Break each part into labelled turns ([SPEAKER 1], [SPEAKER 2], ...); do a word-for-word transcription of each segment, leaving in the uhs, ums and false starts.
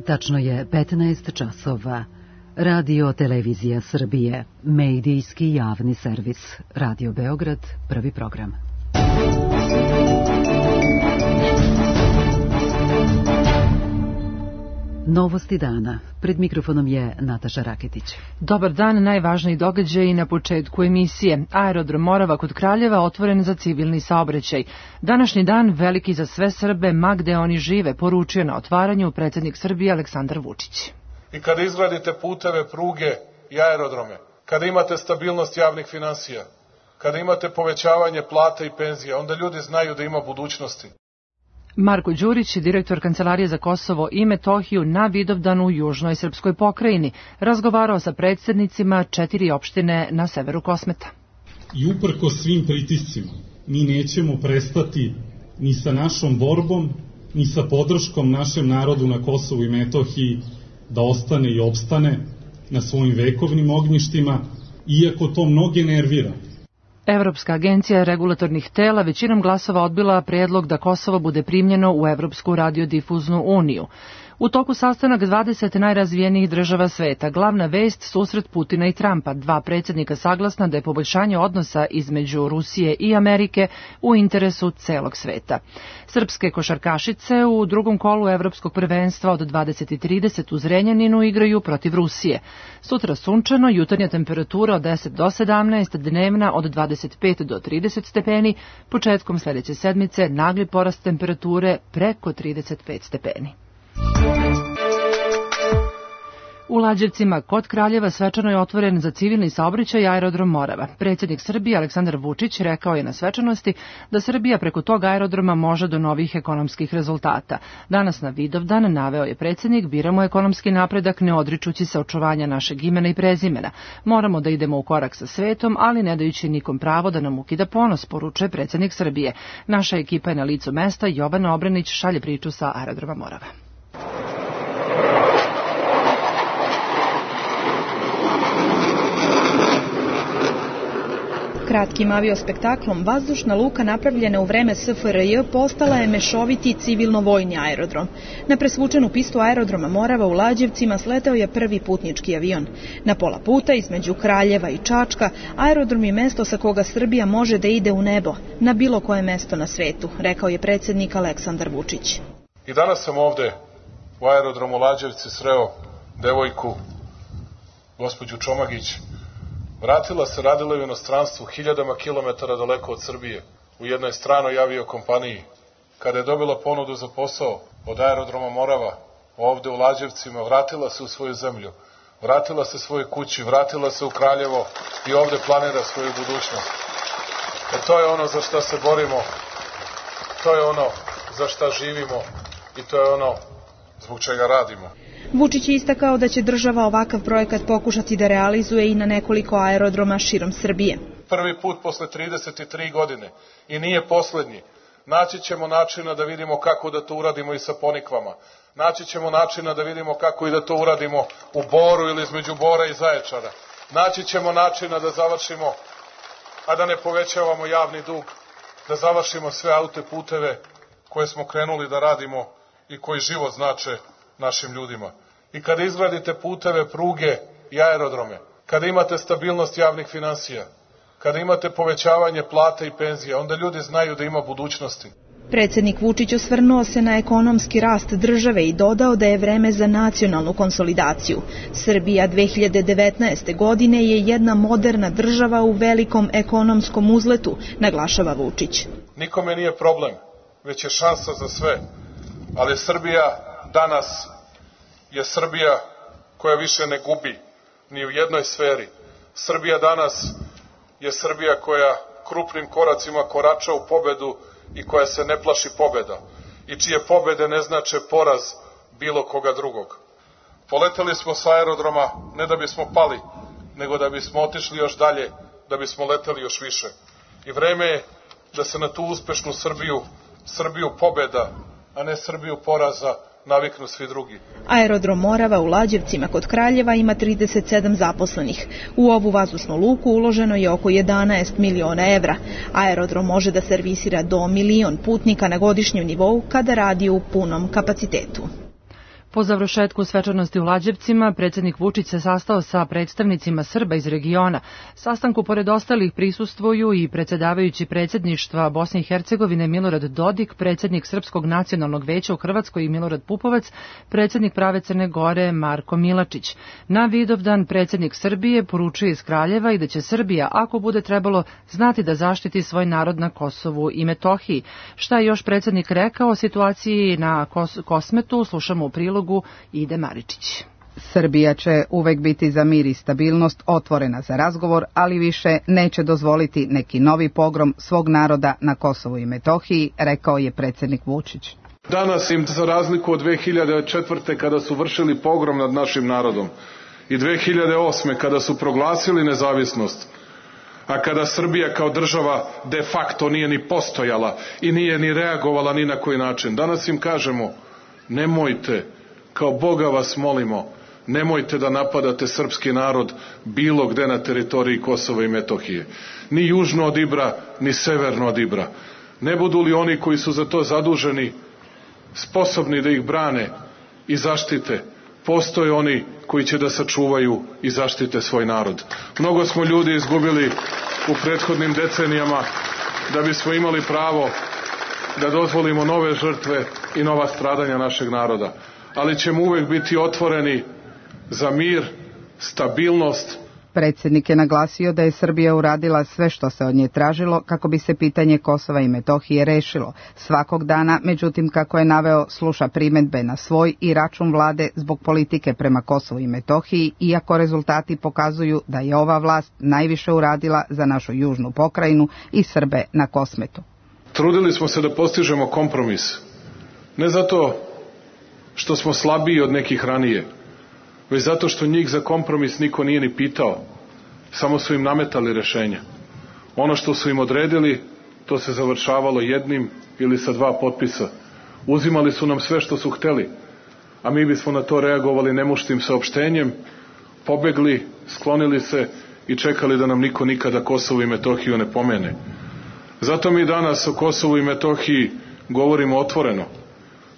[SPEAKER 1] Tačno je petnaest časova. Radio Televizija Srbije, medijski javni servis. Radio Beograd, prvi program. Novosti dana. Pred mikrofonom je Nataša Raketić.
[SPEAKER 2] Dobar dan, najvažniji događaji na početku emisije. Aerodrom Morava kod Kraljeva otvoren za civilni saobraćaj. Današnji dan veliki za sve Srbe, ma gde oni žive, poručio na otvaranju predsjednik Srbije Aleksandar Vučić.
[SPEAKER 3] I kada izgradite puteve, pruge i aerodrome, kada imate stabilnost javnih finansija, kada imate povećavanje plata i penzija, onda ljudi znaju da ima budućnosti.
[SPEAKER 2] Marko Đurić, direktor Kancelarije za Kosovo i Metohiju na Vidovdanu u južnoj srpskoj pokrajini, razgovarao sa predsjednicima četiri opštine na severu Kosmeta.
[SPEAKER 4] I uprko svim pritiscima, mi nećemo prestati ni sa našom borbom, ni sa podrškom našem narodu na Kosovu i Metohiji da ostane i opstane na svojim vekovnim ognjištima, iako to mnoge nervira.
[SPEAKER 2] Evropska agencija regulatornih tela većinom glasova odbila predlog da Kosovo bude primljeno u Evropsku radiodifuznu uniju. U toku sastanak dvadeset najrazvijenijih država sveta, glavna vest susret Putina i Trumpa, dva predsjednika saglasna da je poboljšanje odnosa između Rusije i Amerike u interesu celog sveta. Srpske košarkašice u drugom kolu Evropskog prvenstva od dvadeset i trideset u Zrenjaninu igraju protiv Rusije. Sutra sunčano, jutarnja temperatura od deset do sedamnaest, dnevna od dvadeset pet do trideset stepeni, početkom sljedeće sedmice nagli porast temperature preko trideset pet stepeni. U Lađevcima kod Kraljeva svečano je otvoren za civilni saobraćaj aerodrom Morava. Predsjednik Srbije Aleksandar Vučić rekao je na svečanosti da Srbija preko tog aerodroma može do novih ekonomskih rezultata. Danas na Vidovdan, naveo je predsjednik, biramo ekonomski napredak ne odričući se očuvanja našeg imena i prezimena. Moramo da idemo u korak sa svetom, ali ne dajući nikom pravo da nam ukida ponos, poručuje predsjednik Srbije. Naša ekipa je na licu mesta, Jovana Obranić šalje priču sa aerodroma Morava.
[SPEAKER 5] Kratkim aviospektaklom vazdušna luka napravljena u vreme S F R J postala je mešoviti civilno-vojni aerodrom. Na presvučenu pistu aerodroma Morava u Lađevcima sleteo je prvi putnički avion. Na pola puta između Kraljeva i Čačka aerodrom je mesto sa koga Srbija može da ide u nebo, na bilo koje mesto na svetu, rekao je predsjednik Aleksandar Vučić.
[SPEAKER 3] I danas sam ovde u aerodromu Lađevci sreo devojku, gospođu Čomagić. Vratila se, radila u inostranstvu, hiljadama kilometara daleko od Srbije, u jednoj stranoj aviokompaniji. Kada je dobila ponudu za posao od aerodroma Morava, ovde u Lađevcima, vratila se u svoju zemlju, vratila se svojoj kući, vratila se u Kraljevo i ovde planira svoju budućnost. E to je ono za šta se borimo, to je ono za šta živimo i to je ono zbog čega radimo.
[SPEAKER 5] Vučić je istakao da će država ovakav projekat pokušati da realizuje i na nekoliko aerodroma širom Srbije.
[SPEAKER 3] Prvi put posle trideset tri godine i nije poslednji. Naći ćemo načina da vidimo kako da to uradimo i sa Ponikvama. Naći ćemo načina da vidimo kako i da to uradimo u Boru ili između Bora i Zaječara. Naći ćemo načina da završimo, a da ne povećavamo javni dug, da završimo sve autoputeve koje smo krenuli da radimo i koji život znače našim ljudima. I kada izgradite puteve, pruge i aerodrome, kada imate stabilnost javnih finansija, kada imate povećavanje plata i penzija, onda ljudi znaju da ima budućnosti.
[SPEAKER 5] Predsjednik Vučić osvrnuo se na ekonomski rast države i dodao da je vreme za nacionalnu konsolidaciju. Srbija dve hiljade devetnaeste. godine je jedna moderna država u velikom ekonomskom uzletu, naglašava Vučić.
[SPEAKER 3] Nikome nije problem, već je šansa za sve, ali Srbija danas je Srbija koja više ne gubi ni u jednoj sferi. Srbija danas je Srbija koja krupnim koracima korača u pobedu i koja se ne plaši pobeda i čije pobede ne znače poraz bilo koga drugog. Poleteli smo sa aerodroma ne da bismo pali, nego da bismo otišli još dalje, da bismo leteli još više. I vreme je da se na tu uspešnu Srbiju, Srbiju pobeda, a ne Srbiju poraza, naviknu svi drugi.
[SPEAKER 5] Aerodrom Morava u Lađevcima kod Kraljeva ima trideset sedam zaposlenih. U ovu vazdušnu luku uloženo je oko jedanaest miliona evra. Aerodrom može da servisira do milion putnika na godišnjem nivou kada radi u punom kapacitetu.
[SPEAKER 2] Po završetku svečanosti u Lađevcima, predsjednik Vučić se sastao sa predstavnicima Srba iz regiona. Sastanku pored ostalih prisustvuju i predsjedavajući predsjedništva Bosne i Hercegovine Milorad Dodik, predsjednik Srpskog nacionalnog veća u Hrvatskoj i Milorad Pupovac, predsjednik Prave Crne Gore Marko Milačić. Na Vidovdan predsjednik Srbije poručuje iz Kraljeva i da će Srbija, ako bude trebalo, znati da zaštiti svoj narod na Kosovu i Metohiji. Šta je još predsjednik rekao o situaciji na Kos- Kosmetu, slušamo u prilogu Ide Maričić.
[SPEAKER 6] Srbija će uvek biti za mir i stabilnost, otvorena za razgovor, ali više neće dozvoliti neki novi pogrom svog naroda na Kosovu i Metohiji, rekao je predsjednik Vučić.
[SPEAKER 3] Danas im, za razliku od dve hiljade četvrte kada su vršili pogrom nad našim narodom i dve hiljade osme kada su proglasili nezavisnost, a kada Srbija kao država de facto nije ni postojala i nije ni reagovala ni na koji način, danas im kažemo nemojte, kao Boga vas molimo, nemojte da napadate srpski narod bilo gde na teritoriji Kosova i Metohije. Ni južno od Ibra, ni severno od Ibra. Ne budu li oni koji su za to zaduženi sposobni da ih brane i zaštite, postoje oni koji će da sačuvaju i zaštite svoj narod. Mnogo smo ljudi izgubili u prethodnim decenijama da bismo imali pravo da dozvolimo nove žrtve i nova stradanja našeg naroda. Ali ćemo uvek biti otvoreni za mir, stabilnost.
[SPEAKER 6] Predsjednik je naglasio da je Srbija uradila sve što se od nje tražilo kako bi se pitanje Kosova i Metohije rešilo. Svakog dana, međutim, kako je naveo, sluša primedbe na svoj i račun vlade zbog politike prema Kosovu i Metohiji, iako rezultati pokazuju da je ova vlast najviše uradila za našu južnu pokrajinu i Srbe na Kosmetu.
[SPEAKER 3] Trudili smo se da postižemo kompromis. Ne zato što smo slabiji od nekih ranije, već zato što njih za kompromis niko nije ni pitao. Samo su im nametali rešenja. Ono što su im odredili, to se završavalo jednim ili sa dva potpisa. Uzimali su nam sve što su hteli, a mi bismo na to reagovali nemuštim saopštenjem, pobegli, sklonili se i čekali da nam niko nikada Kosovo i Metohiju ne pomene. Zato mi danas o Kosovu i Metohiji govorimo otvoreno.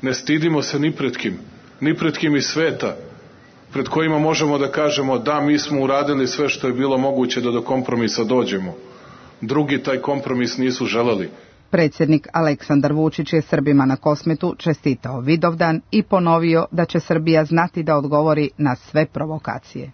[SPEAKER 3] Ne stidimo se ni pred kim, ni pred kim iz sveta, pred kojima možemo da kažemo da mi smo uradili sve što je bilo moguće da do kompromisa dođemo. Drugi taj kompromis nisu želeli.
[SPEAKER 6] Predsjednik Aleksandar Vučić je Srbima na Kosmetu čestitao Vidovdan i ponovio da će Srbija znati da odgovori na sve provokacije.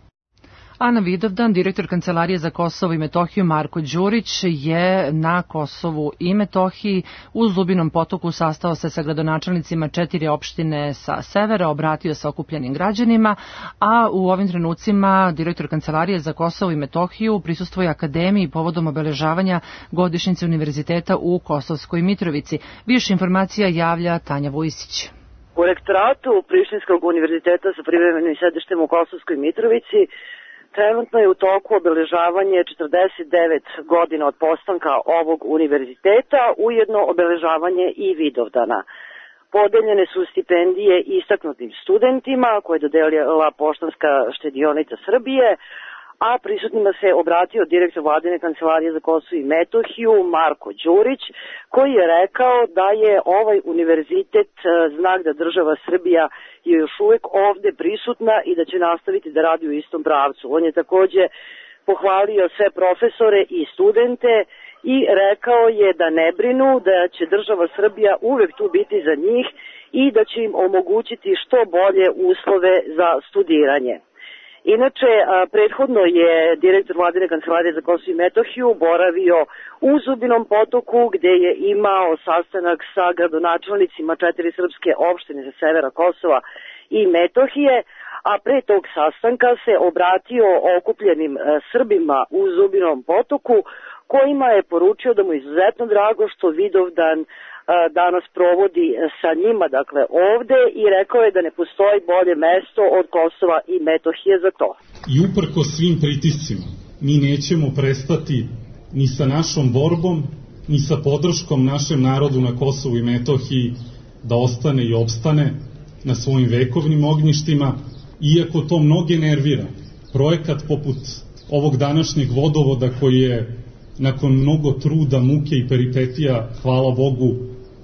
[SPEAKER 2] A na Vidovdan direktor Kancelarije za Kosovo i Metohiju Marko Đurić je na Kosovu i Metohiji u Zubinom Potoku sastao se sa gradonačelnicima četiri opštine sa severa, obratio se okupljenim građanima, a u ovim trenucima direktor Kancelarije za Kosovo i Metohiju prisustvuje akademiji povodom obeležavanja godišnjice univerziteta u Kosovskoj Mitrovici. Više informacija javlja Tanja Vujisić.
[SPEAKER 7] U rektoratu Prištinskog univerziteta sa privremenim sedištem u Kosovskoj Mitrovici trenutno je u toku obeležavanje četrdeset devet godina od postanka ovog univerziteta, ujedno obeležavanje i Vidovdana. Podeljene su stipendije istaknutim studentima koje je dodelila Poštanska štedionica Srbije, a prisutnima se obratio direktor Vladine kancelarije za Kosovo i Metohiju Marko Đurić, koji je rekao da je ovaj univerzitet znak da država Srbija je još uvek ovde prisutna i da će nastaviti da radi u istom pravcu. On je takođe pohvalio sve profesore i studente i rekao je da ne brinu, da će država Srbija uvek tu biti za njih i da će im omogućiti što bolje uslove za studiranje. Inače, prethodno je direktor Vladine kancelarije za Kosovo i Metohiju boravio u Zubinom Potoku gde je imao sastanak sa gradonačelnicima četiri srpske opštine sa severa Kosova i Metohije, a pre tog sastanka se obratio okupljenim Srbima u Zubinom Potoku, kojima je poručio da mu je izuzetno drago što Vidovdan danas provodi sa njima, dakle ovde, i rekao je da ne postoji bolje mesto od Kosova i Metohije za to.
[SPEAKER 4] I uprko svim pritiscima, mi nećemo prestati ni sa našom borbom, ni sa podrškom našem narodu na Kosovu i Metohiji da ostane i opstane na svojim vekovnim ognjištima, iako to mnoge nervira. Projekat poput ovog današnjeg vodovoda koji je nakon mnogo truda, muke i peripetija, hvala Bogu,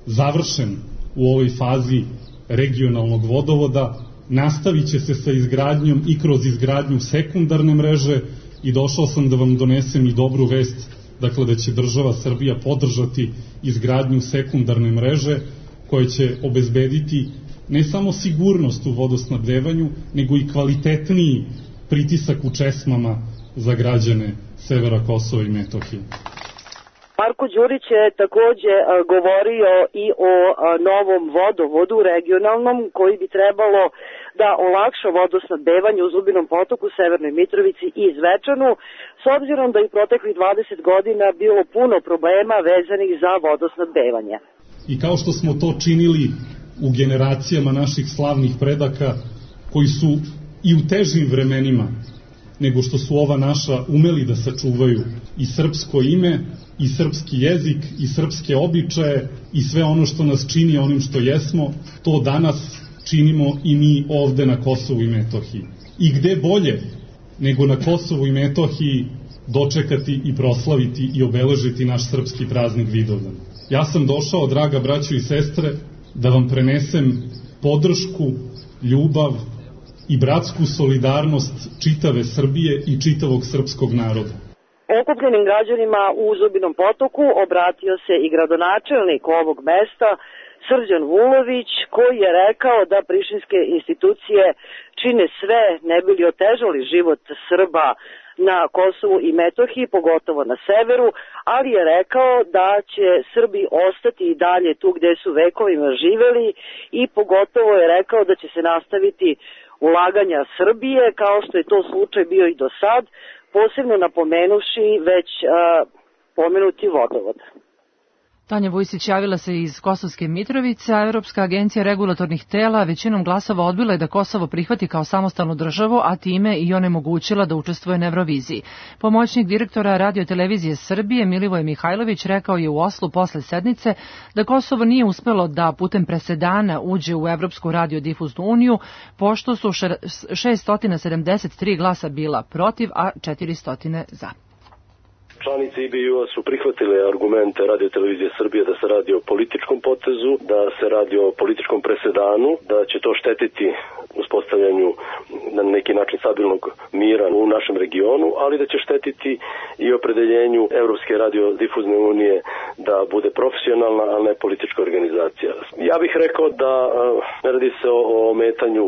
[SPEAKER 4] završen u ovoj fazi regionalnog vodovoda, nastavit će se sa izgradnjom i kroz izgradnju sekundarne mreže i došao sam da vam donesem i dobru vest, dakle da će država Srbija podržati izgradnju sekundarne mreže koja će obezbediti ne samo sigurnost u vodosnabdevanju, nego i kvalitetniji pritisak u česmama za građane severa Kosova i Metohije.
[SPEAKER 7] Marko Đurić je takođe govorio i o novom vodovodu regionalnom koji bi trebalo da olakša vodosnabdevanje u Zubinom potoku, Severnoj Mitrovici i Zvečanu, s obzirom da je proteklih dvadeset godina bilo puno problema vezanih za vodosnabdevanje.
[SPEAKER 4] I kao što smo to činili u generacijama naših slavnih predaka, koji su i u težim vremenima nego što su ova naša umeli da sačuvaju i srpsko ime, i srpski jezik, i srpske običaje, i sve ono što nas čini onim što jesmo, to danas činimo i mi ovde na Kosovu i Metohiji. I gde bolje nego na Kosovu i Metohiji dočekati i proslaviti i obeležiti naš srpski praznik Vidovdan. Ja sam došao, draga braćo i sestre, da vam prenesem podršku, ljubav i bratsku solidarnost čitave Srbije i čitavog srpskog naroda.
[SPEAKER 7] Okupljenim građanima u Zubinom potoku obratio se i gradonačelnik ovog mesta, Srđan Vulović, koji je rekao da prištinske institucije čine sve ne bi li otežali život Srba na Kosovu i Metohiji, pogotovo na severu, ali je rekao da će Srbi ostati i dalje tu gde su vekovima živeli i pogotovo je rekao da će se nastaviti ulaganja Srbije, kao što je to slučaj bio i do sad, posebno napomenuši već a, pomenuti vodovod.
[SPEAKER 2] Tanja Vujsić javila se iz Kosovske Mitrovice, a Evropska agencija regulatornih tela većinom glasova odbila je da Kosovo prihvati kao samostalnu državu, a time i onemogućila da učestvuje na Euroviziji. Pomoćnik direktora Radio-televizije Srbije Milivoje Mihajlović rekao je u Oslu posle sednice da Kosovo nije uspelo da putem presedana uđe u Evropsku radiodifuznu uniju, pošto su šesto sedamdeset tri glasa bila protiv, a četiristo za.
[SPEAKER 8] Članice I B U-a su prihvatile argumente Radio-televizije Srbije da se radi o političkom potezu, da se radi o političkom presedanu, da će to štetiti uspostavljanju na neki način stabilnog mira u našem regionu, ali da će štetiti i opredeljenju Evropske radiodifuzne unije da bude profesionalna, a ne politička organizacija. Ja bih rekao da ne radi se o ometanju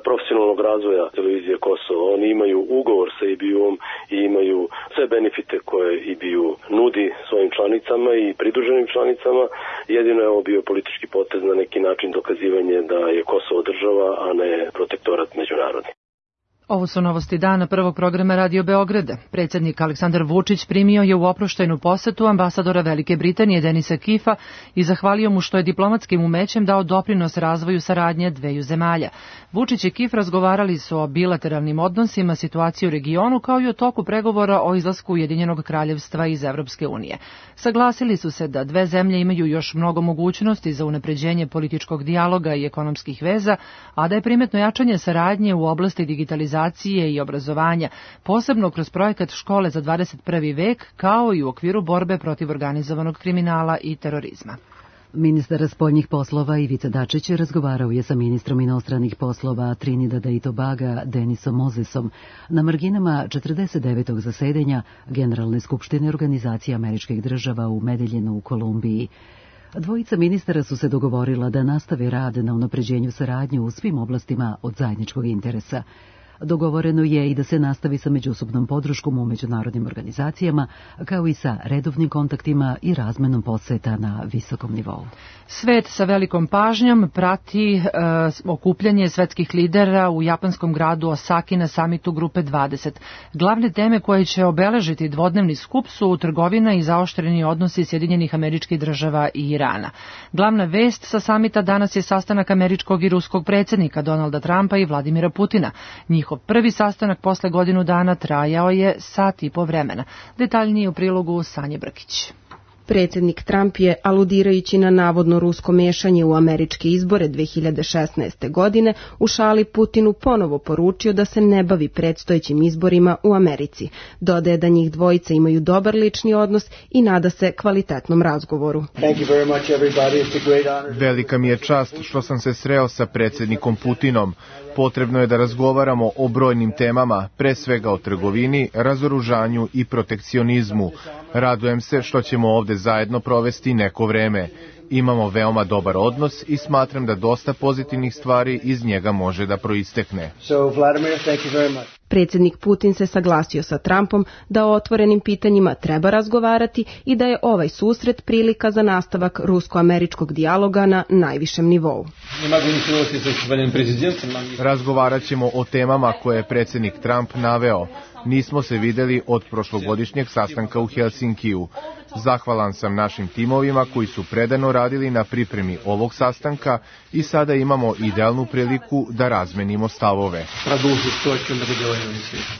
[SPEAKER 8] profesionalnog razvoja televizije Kosovo. Oni imaju ugovor sa I B U-om i imaju sve benefite koje I B U nudi svojim članicama i pridruženim članicama. Jedino je ovo bio politički potez, na neki način dokazivanje da je Kosovo država, a ne protektorat međunarodni.
[SPEAKER 2] Ovo su novosti dana prvog programa Radio Beograda. Predsjednik Aleksandar Vučić primio je u oproštajnu posetu ambasadora Velike Britanije Denisa Kifa i zahvalio mu što je diplomatskim umećem dao doprinos razvoju saradnje dveju zemalja. Vučić i Kif razgovarali su o bilateralnim odnosima, situaciji u regionu, kao i o toku pregovora o izlasku Ujedinjenog kraljevstva iz Evropske unije. Saglasili su se da dve zemlje imaju još mnogo mogućnosti za unapređenje političkog dijaloga i ekonomskih veza, a da je primetno jačanje saradnje u oblasti digitalizacije i obrazovanja, posebno kroz projekat Škole za dvadeset prvi vek, kao i u okviru borbe protiv organizovanog kriminala i terorizma.
[SPEAKER 1] Ministar spoljnih poslova Ivica Dačić razgovarao je sa ministrom inostranih poslova Trinidada i Tobaga Denisom Mozesom na marginama četrdeset devetog zasedanja Generalne skupštine Organizacije američkih država u Medeljinu u Kolumbiji. Dvojica ministara su se dogovorila da nastave rad na unapređenju saradnje u svim oblastima od zajedničkog interesa. Dogovoreno je i da se nastavi sa međusobnom podrškom u međunarodnim organizacijama, kao i sa redovnim kontaktima i razmenom poseta na visokom nivou.
[SPEAKER 2] Svet sa velikom pažnjom prati e, okupljanje svetskih lidera u japanskom gradu Osaki na samitu Grupe dvadeset. Glavne teme koje će obeležiti dvodnevni skup su trgovina i zaoštreni odnosi Sjedinjenih Američkih Država i Irana. Glavna vest sa samita danas je sastanak američkog i ruskog predsjednika Donalda Trumpa i Vladimira Putina. Njihov prvi sastanak posle godinu dana trajao je sat i po vremena. Detaljnije u prilogu Sanje Brkić.
[SPEAKER 9] Predsjednik Trump je, aludirajući na navodno rusko mešanje u američke izbore dve hiljade šesnaeste. godine, u šali Putinu ponovo poručio da se ne bavi predstojećim izborima u Americi. Dodaje da njih dvojica imaju dobar lični odnos i nada se kvalitetnom razgovoru.
[SPEAKER 10] Velika mi je čast što sam se sreo sa predsjednikom Putinom. Potrebno je da razgovaramo o brojnim temama, pre svega o trgovini, razoružanju i protekcionizmu. Radujem se što ćemo ovde zajedno provesti neko vreme. Imamo veoma dobar odnos i smatram da dosta pozitivnih stvari iz njega može da proistekne.
[SPEAKER 11] So, Vladimir, thank you very much.
[SPEAKER 9] Predsjednik Putin se saglasio sa Trumpom da o otvorenim pitanjima treba razgovarati i da je ovaj susret prilika za nastavak rusko-američkog dijaloga na najvišem nivou.
[SPEAKER 10] Razgovarat ćemo o temama koje je predsjednik Trump naveo. Nismo se videli od prošlogodišnjeg sastanka u Helsinkiju. Zahvalan sam našim timovima koji su predano radili na pripremi ovog sastanka i sada imamo idealnu priliku da razmenimo stavove.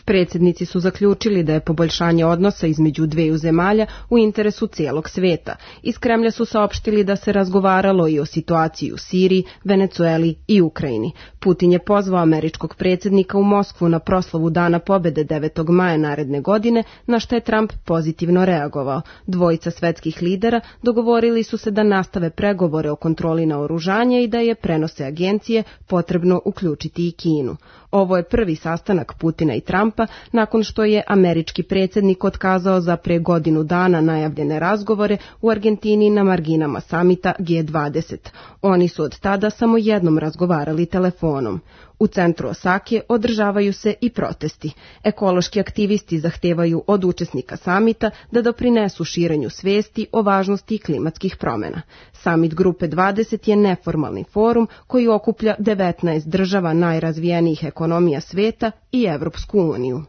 [SPEAKER 9] Predsjednici su zaključili da je poboljšanje odnosa između dveju zemalja u interesu cijelog sveta. Iz Kremlja su saopštili da se razgovaralo i o situaciji u Siriji, Venecueli i Ukrajini. Putin je pozvao američkog predsjednika u Moskvu na proslavu Dana pobjede devetog maja naredne godine, na što je Trump pozitivno reagovao. Dvojica svetskih lidera dogovorili su se da nastave pregovore o kontroli naoružanja i da je, prenose agencije, potrebno uključiti i Kinu. Ovo je prvi sastanak Putina i Trumpa nakon što je američki predsjednik otkazao za pre godinu dana najavljene razgovore u Argentini na marginama samita G dvadeset. Oni su od tada samo jednom razgovarali telefonom. U centru Osake održavaju se i protesti. Ekološki aktivisti zahtevaju od učesnika samita da doprinesu širenju svesti o važnosti klimatskih promjena. Samit Grupe dvadeset je neformalni forum koji okuplja devetnaest država najrazvijenijih ekonomija sveta i Evropsku uniju.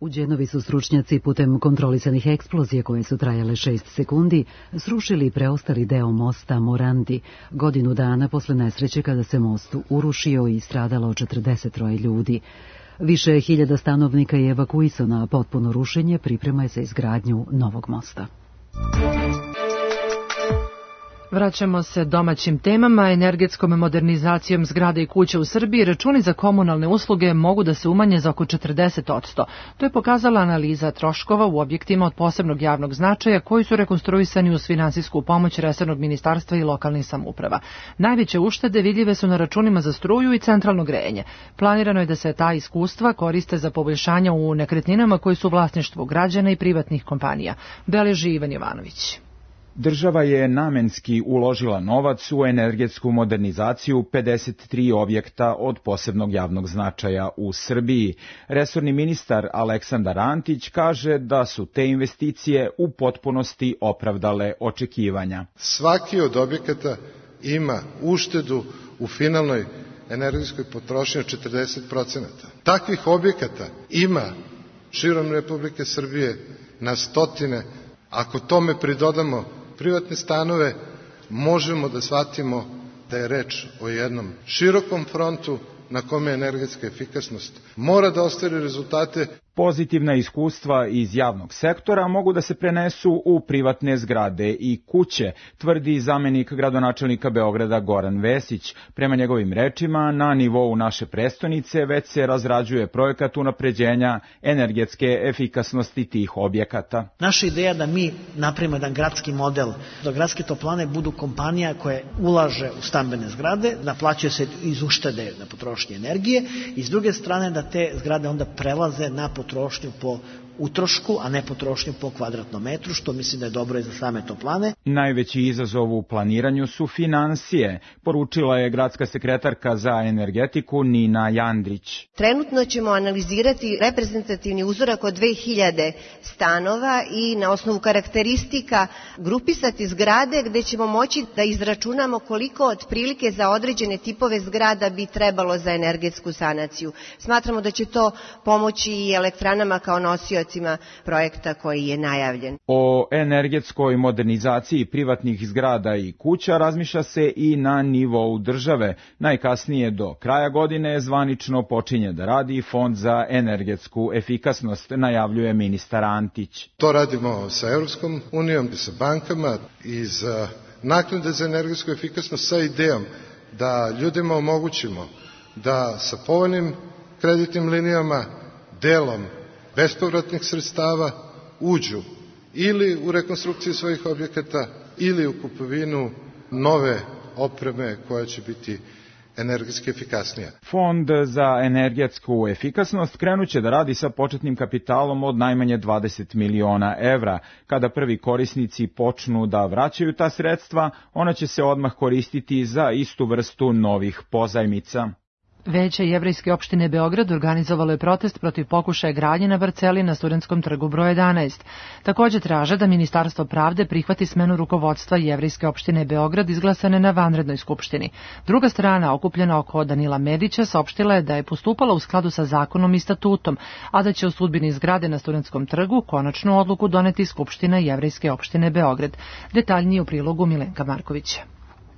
[SPEAKER 1] U Đenovi su stručnjaci putem kontrolisanih eksplozija koje su trajale šest sekundi srušili preostali deo mosta Morandi, godinu dana posle nesreće kada se most urušio i stradalo četrdeset troje ljudi. Više hiljada stanovnika je evakuisano, a potpuno rušenje priprema je za izgradnju novog mosta.
[SPEAKER 2] Vraćamo se domaćim temama. Energetskom modernizacijom zgrada i kuća u Srbiji računi za komunalne usluge mogu da se umanje za oko četrdeset posto. To je pokazala analiza troškova u objektima od posebnog javnog značaja koji su rekonstruisani uz finansijsku pomoć resornog ministarstva i lokalnih samouprava. Najveće uštede vidljive su na računima za struju i centralno grejanje. Planirano je da se ta iskustva koriste za poboljšanja u nekretninama koji su vlasništvo građana i privatnih kompanija. Beleži Ivan Jovanović.
[SPEAKER 12] Država je namenski uložila novac u energetsku modernizaciju pedeset tri objekta od posebnog javnog značaja u Srbiji. Resorni ministar Aleksandar Antić kaže da su te investicije u potpunosti opravdale očekivanja.
[SPEAKER 13] Svaki od objekata ima uštedu u finalnoj energetskoj potrošnji od četrdeset posto. Takvih objekata ima širom Republike Srbije na stotine. Ako tome pridodamo privatne stanove, možemo da shvatimo da je reč o jednom širokom frontu na kome energetska efikasnost mora da ostvari rezultate.
[SPEAKER 12] Pozitivna iskustva iz javnog sektora mogu da se prenesu u privatne zgrade i kuće, tvrdi zamenik gradonačelnika Beograda Goran Vesić. Prema njegovim rečima, na nivou naše prestonice već se razrađuje projekat unapređenja energetske efikasnosti tih objekata.
[SPEAKER 14] Naša ideja da mi napravimo jedan gradski model, da gradske toplane budu kompanija koja ulaže u stambene zgrade, naplaćuje se iz uštede na potrošnje energije i s druge strane da te zgrade onda prelaze na potrošnju po utrošku, a ne potrošnju po kvadratnom metru, što mislim da je dobro i za same toplane.
[SPEAKER 12] Najveći izazov u planiranju su finansije, poručila je gradska sekretarka za energetiku Nina Jandrić.
[SPEAKER 15] Trenutno ćemo analizirati reprezentativni uzorak od dve hiljade stanova i na osnovu karakteristika grupisati zgrade gde ćemo moći da izračunamo koliko otprilike za određene tipove zgrada bi trebalo za energetsku sanaciju. Smatramo da će to pomoći i elektranama kao nosioci projekta koji je najavljen.
[SPEAKER 12] O energetskoj modernizaciji privatnih zgrada i kuća razmišlja se i na nivou države. Najkasnije do kraja godine zvanično počinje da radi Fond za energetsku efikasnost, najavljuje ministar Antić.
[SPEAKER 13] To radimo sa Evropskom unijom, sa bankama iz naknade za energetsku efikasnost sa idejom da ljudima omogućimo da sa povoljnim kreditnim linijama, delom bespovratnih sredstava uđu ili u rekonstrukciju svojih objekata ili u kupovinu nove opreme koja će biti energetski efikasnija.
[SPEAKER 12] Fond za energetsku efikasnost krenuće da radi sa početnim kapitalom od najmanje dvadeset miliona evra. Kada prvi korisnici počnu da vraćaju ta sredstva, ona će se odmah koristiti za istu vrstu novih pozajmica.
[SPEAKER 2] Veće Jevrejske opštine Beograd organizovalo je protest protiv pokušaja gradnje na parceli na Studentskom trgu broj jedanaest. Takođe traže da Ministarstvo pravde prihvati smenu rukovodstva Jevrejske opštine Beograd izglasane na vanrednoj skupštini. Druga strana, okupljena oko Danila Medića, saopštila je da je postupala u skladu sa zakonom i statutom, a da će o sudbini zgrade na Studentskom trgu konačnu odluku doneti Skupština Jevrejske opštine Beograd. Detaljnije u prilogu Milenka Markovića.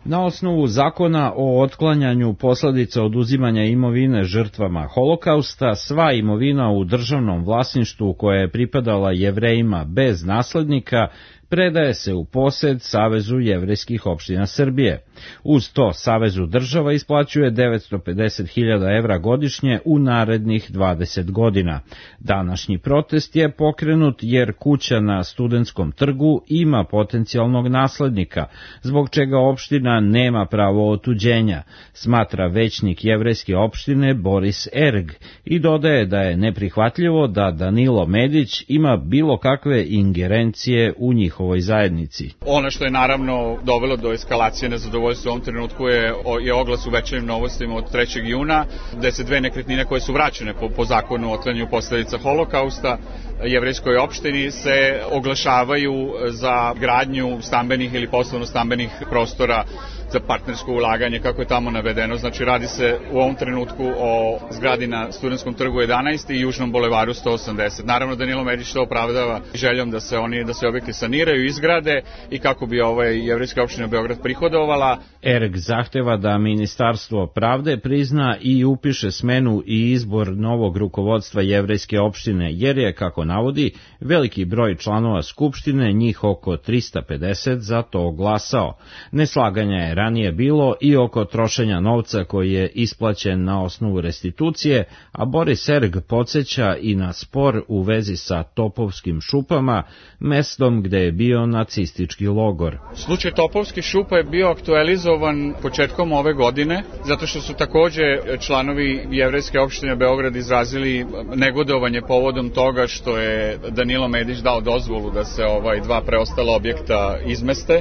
[SPEAKER 16] Na osnovu zakona o otklanjanju posledica oduzimanja imovine žrtvama Holokausta, sva imovina u državnom vlasništvu koja je pripadala Jevrejima bez naslednika predaje se u posed Savezu jevrejskih opština Srbije. Uz to Savezu država isplaćuje devetsto pedeset hiljada evra godišnje u narednih dvadeset godina. Današnji protest je pokrenut jer kuća na Studentskom trgu ima potencijalnog naslednika, zbog čega opština nema pravo otuđenja, smatra većnik jevrejske opštine Boris Erg i dodaje da je neprihvatljivo da Danilo Medić ima bilo kakve ingerencije u njihovoj zajednici.
[SPEAKER 17] Ono što je naravno dovelo do eskalacije nezadovoljstva u ovom trenutku je, je oglas u Večernjim novostima od trećeg juna, gde se dve nekretnine koje su vraćene po, po zakonu o otklanjanju posledica Holokausta jevrejskoj opštini se oglašavaju za gradnju stambenih ili poslovno-stambenih prostora za partnersko ulaganje, kako je tamo navedeno. Znači, radi se u ovom trenutku o zgradi na Studentskom trgu jedanaest i Južnom bulevaru sto osamdeset. Naravno, Danilo Medić to opravdava željom da se oni da se objekti saniraju, izgrade i kako bi ovaj jevrejska opština Beograd prihodovala.
[SPEAKER 16] Erg zahteva da Ministarstvo pravde prizna i upiše smenu i izbor novog rukovodstva jevrejske opštine, jer je, kako navodi, veliki broj članova Skupštine, njih oko trista pedeset, za to glasao. Neslaganja je ranije bilo i oko trošenja novca koji je isplaćen na osnovu restitucije, a Boris Erg podsjeća i na spor u vezi sa Topovskim šupama, mestom gde je bio nacistički logor.
[SPEAKER 17] Slučaj Topovskih šupa je bio aktualizovan početkom ove godine, zato što su takođe članovi jevrejske opštine Beograd izrazili negodovanje povodom toga što je Danilo Medić dao dozvolu da se ovaj dva preostala objekta izmeste.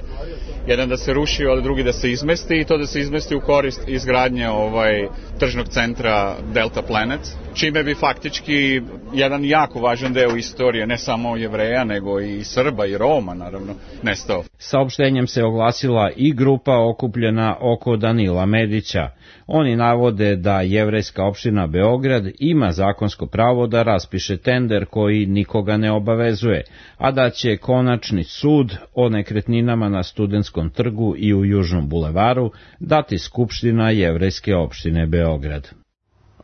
[SPEAKER 17] Jedan da se ruši, a drugi da se izmesti, i to da se izmesti u korist izgradnje ovaj tržnog centra Delta Planet, čime bi faktički jedan jako važan deo istorije, ne samo Jevreja, nego i Srba i Roma, naravno, nestao.
[SPEAKER 16] Saopštenjem se oglasila i grupa okupljena oko Danila Medića. Oni navode da jevrejska opština Beograd ima zakonsko pravo da raspiše tender koji nikoga ne obavezuje, a da će konačni sud o nekretninama na Studentskom trgu i u Južnom bulevaru dati Skupština jevrejske opštine Beograd.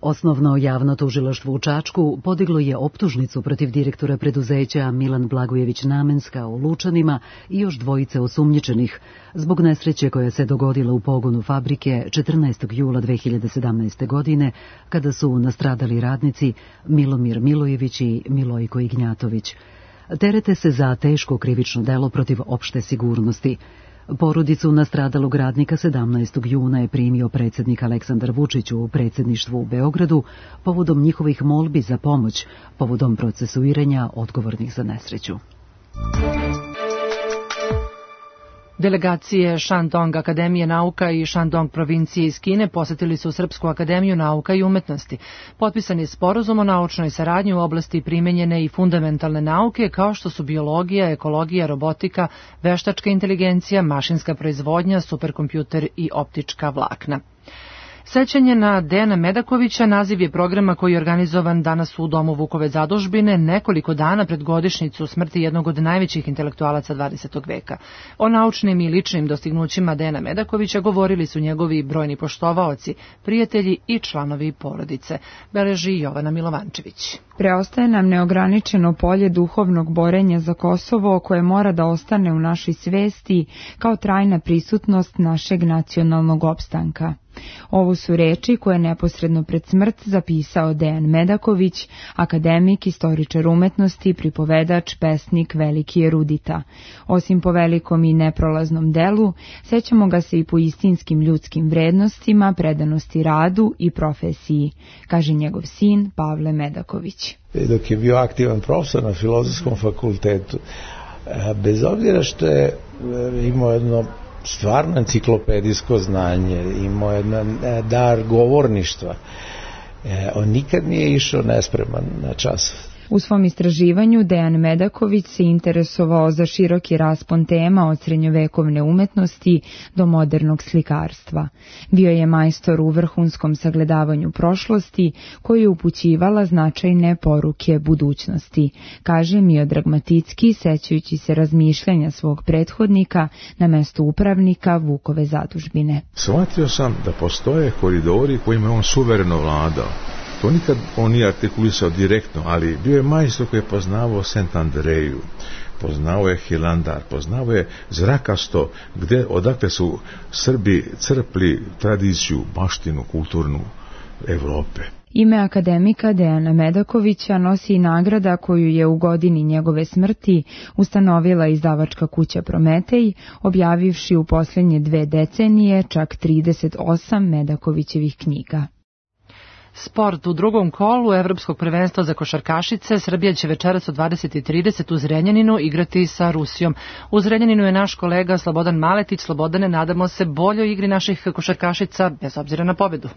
[SPEAKER 1] Osnovno javno tužilaštvo u Čačku podiglo je optužnicu protiv direktora preduzeća Milan Blagojević Namenska u Lučanima i još dvojice osumnjičenih zbog nesreće koja se dogodila u pogonu fabrike četrnaestog jula dve hiljade sedamnaeste. godine, kada su nastradali radnici Milomir Milojević i Milojko Ignjatović. Terete se za teško krivično delo protiv opšte sigurnosti. Porodicu nastradalog radnika sedamnaestog juna je primio predsjednik Aleksandar Vučić u predsjedništvu u Beogradu povodom njihovih molbi za pomoć, povodom procesuiranja odgovornih za nesreću.
[SPEAKER 2] Delegacije Shandong Akademije nauka i Shandong provincije iz Kine posetili su Srpsku akademiju nauka i umetnosti. Potpisan je sporazum o naučnoj saradnji u oblasti primenjene i fundamentalne nauke, kao što su biologija, ekologija, robotika, veštačka inteligencija, mašinska proizvodnja, superkompjuter i optička vlakna. Sećanje na Dejana Medakovića naziv je programa koji je organizovan danas u Domu Vukove zadužbine nekoliko dana pred godišnjicu smrti jednog od najvećih intelektualaca dvadesetog veka. O naučnim i ličnim dostignućima Dejana Medakovića govorili su njegovi brojni poštovaoci, prijatelji i članovi porodice, beleži Jovana Milovančević.
[SPEAKER 18] Preostaje nam neograničeno polje duhovnog borenja za Kosovo koje mora da ostane u našoj svesti kao trajna prisutnost našeg nacionalnog opstanka. Ovo su reči koje neposredno pred smrt zapisao Dejan Medaković, akademik, istoričar umetnosti, pripovedač, pesnik, veliki erudita. Osim po velikom i neprolaznom delu, sećamo ga se i po istinskim ljudskim vrednostima, predanosti radu i profesiji, kaže njegov sin Pavle Medaković.
[SPEAKER 19] Dok je bio aktivan profesor na Filozofskom fakultetu, bez obzira što je imao jedno stvarno enciklopedijsko znanje, imao jedan dar govorništva, on nikad nije išao nespreman na čas.
[SPEAKER 18] U svom istraživanju Dejan Medaković se interesovao za široki raspon tema od srednjovekovne umetnosti do modernog slikarstva. Bio je majstor u vrhunskom sagledavanju prošlosti koji je upućivala značajne poruke budućnosti, kaže Miodrag Maticki, sećajući se razmišljanja svog prethodnika na mestu upravnika Vukove zadužbine.
[SPEAKER 20] Shvatio sam da postoje koridori kojima je on suvereno vladao. To nikad on nije artikulisao direktno, ali bio je majstor koji je poznavao Sent Andreju, poznao je Hilandar, poznao je Zrakasto, gde, odakle su Srbi crpli tradiciju, baštinu, kulturnu Evrope.
[SPEAKER 18] Ime akademika Dejana Medakovića nosi i nagrada koju je u godini njegove smrti ustanovila izdavačka kuća Prometej, objavivši u posljednje dve decenije čak trideset osam Medakovićevih knjiga.
[SPEAKER 2] Sport u drugom kolu Evropskog prvenstva za košarkašice. Srbija će večeras u dvadeset i trideset u Zrenjaninu igrati sa Rusijom. U Zrenjaninu je naš kolega Slobodan Maletić. Slobodane, nadamo se boljoj igri naših košarkašica bez obzira na pobedu.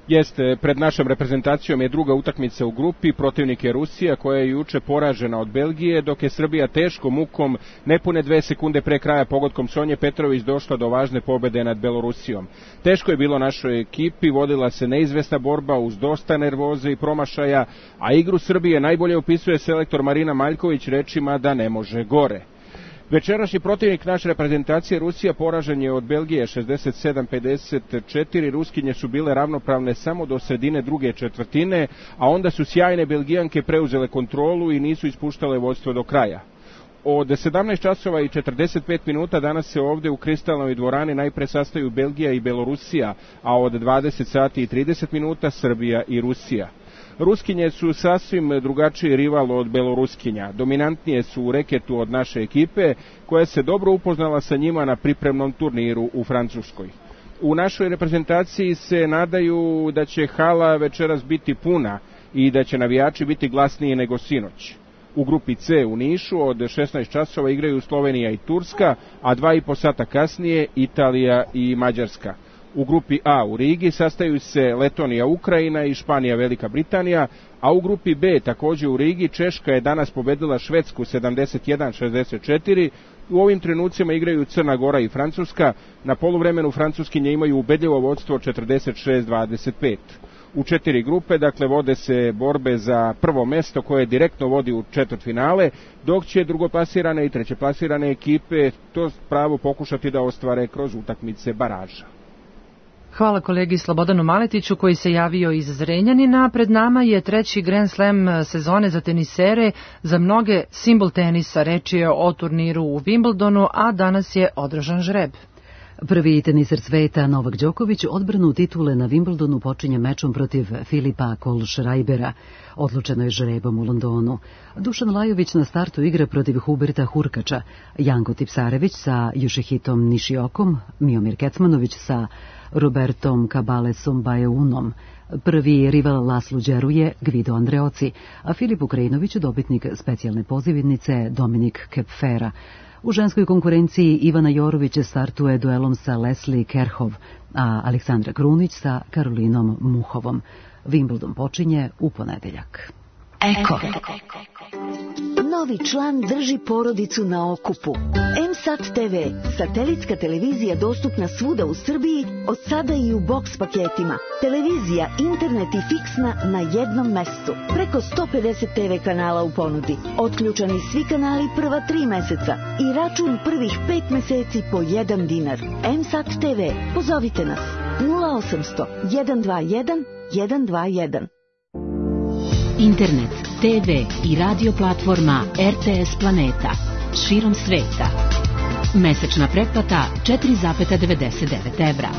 [SPEAKER 21] Jeste, pred našom reprezentacijom je druga utakmica u grupi, protivnik je Rusija koja je juče poražena od Belgije, dok je Srbija teškom mukom nepune dve sekunde pre kraja pogodkom Sonje Petrović došla do važne pobede nad Belorusijom. Teško je bilo našoj ekipi, vodila se neizvesna borba uz dosta nervoze i promašaja, a igru Srbije najbolje opisuje selektor Marina Maljković rečima da ne može gore. Večerašnji protivnik naše reprezentacije Rusija poražen je od Belgije šezdeset sedam pedeset četiri, Ruskinje su bile ravnopravne samo do sredine druge četvrtine, a onda su sjajne Belgijanke preuzele kontrolu i nisu ispuštale vodstvo do kraja. Od sedamnaest časova i četrdeset pet minuta danas se ovde u Kristalnoj dvorani najpre sastaju Belgija i Belorusija, a od dvadeset sati i trideset minuta Srbija i Rusija. Ruskinje su sasvim drugačiji rival od Beloruskinja. Dominantnije su u reketu od naše ekipe, koja se dobro upoznala sa njima na pripremnom turniru u Francuskoj. U našoj reprezentaciji se nadaju da će hala večeras biti puna i da će navijači biti glasniji nego sinoć. U grupi C u Nišu od šesnaest časova igraju Slovenija i Turska, a dva i po sata kasnije Italija i Mađarska. U grupi A u Rigi sastaju se Letonija, Ukrajina i Španija, Velika Britanija, a u grupi B također u Rigi Češka je danas pobedila Švedsku sedamdeset jedan šezdeset četiri. U ovim trenucima igraju Crna Gora i Francuska. Na poluvremenu Francuskinje imaju ubedljivo vodstvo četrdeset šest dvadeset pet. U četiri grupe, dakle, vode se borbe za prvo mesto koje direktno vodi u četvrtfinale, dok će drugoplasirane i trećeplasirane ekipe to pravo pokušati da ostvare kroz utakmice baraža.
[SPEAKER 2] Hvala kolegi Slobodanu Maletiću koji se javio iz Zrenjanina. Pred nama je treći Grand Slam sezone za tenisere, za mnoge simbol tenisa. Reč je o turniru u Wimbledonu, a danas je održan žreb.
[SPEAKER 1] Prvi teniser sveta Novak Đoković odbranu titule na Wimbledonu počinje mečom protiv Filipa Kohlschreibera. Odlučeno je žrebom u Londonu. Dušan Lajović na startu igra protiv Huberta Hurkača, Janko Tipsarević sa Jušehitom Nišiokom, Miomir Kecmanović sa Robertom Cabalesom Bajeunom. Prvi rival Laslu Đeruje, Gvido Andreoci, a Filip Ukrajinović dobitnik specijalne pozivnice Dominik Kepfera. U ženskoj konkurenciji Ivana Jorović startuje duelom sa Leslie Kerhov, a Aleksandra Krunić sa Karolinom Muhovom. Wimbledon počinje u ponedeljak.
[SPEAKER 22] Eko. Novi član drži porodicu na okupu. M S A T T V, satelitska televizija dostupna svuda u Srbiji, od sada i u boks paketima. Televizija, internet i fiksna na jednom mestu. Preko sto pedeset T V kanala u ponudi. Otključani svi kanali prva tri meseca i račun prvih pet meseci po jedan dinar. M S A T T V, pozovite nas nula osamsto jedan dva jedan jedan dva jedan.
[SPEAKER 23] Internet, T V i radio platforma R T S Planeta. Širom sveta. Mesečna pretplata četiri zarez devedeset devet evra.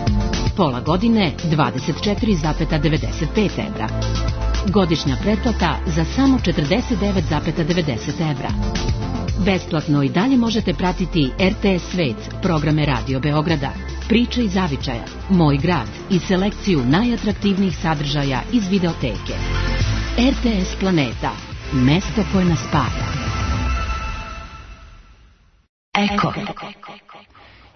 [SPEAKER 23] Pola godine dvadeset četiri zarez devedeset pet evra. Godišnja pretplata za samo četrdeset devet zarez devedeset evra. Besplatno i dalje možete pratiti R T S Svet, programe Radio Beograda, Priče iz Zavičaja, Moj grad i selekciju najatraktivnijih sadržaja iz videoteke. R T S Planeta, mesto koje nas spaja. Eko.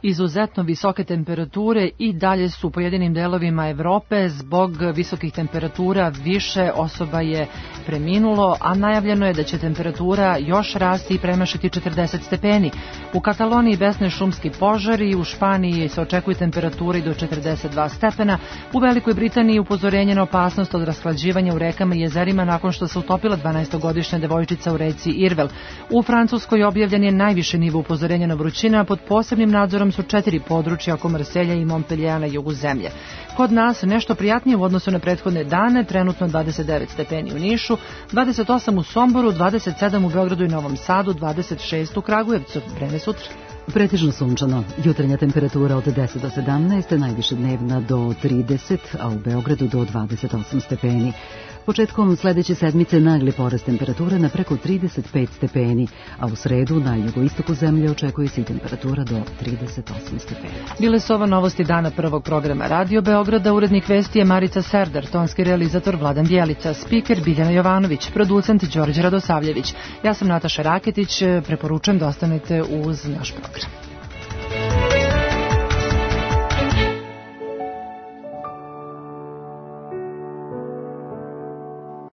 [SPEAKER 2] Izuzetno visoke temperature i dalje su u pojedinim delovima Evrope. Zbog visokih temperatura više osoba je preminulo, a najavljeno je da će temperatura još rasti i premašiti četrdeset stepeni. U Kataloniji besne šumski požari, u Španiji se očekuju temperaturi do četrdeset dva stepena, u Velikoj Britaniji upozorenje na opasnost od rashlađivanja u rekama i jezerima nakon što se utopila dvanaestogodišnja devojčica u reci Irvel. U Francuskoj objavljen je najviše nivo upozorenja na vrućina, pod posebnim nadzorom su četiri područja oko Marselja i Montpelliera na jugu zemlje. Kod nas nešto prijatnije u odnosu na prethodne dane, trenutno dvadeset devet stepeni u Nišu, dvadeset osam u Somboru, dvadeset sedam u Beogradu i Novom Sadu, dvadeset šest u Kragujevcu. Vreme sutra.
[SPEAKER 1] Pretežno sunčano. Jutarnja temperatura od deset do sedamnaest, najviše dnevna do trideset, a u Beogradu do dvadeset osam stepeni. Početkom sledeće sedmice nagli porast temperature na preko trideset pet stepeni, a u sredu na jugoistoku zemlje očekuje se i temperatura do trideset osam stepeni.
[SPEAKER 2] Bile su ova novosti dana prvog programa Radio Beograda. Urednik vesti je Marica Serdar, tonski realizator Vladan Bjelica, spiker Biljana Jovanović, producent Đorđe Radosavljević. Ja sam Nataša Raketić, preporučujem da ostanete uz naš program.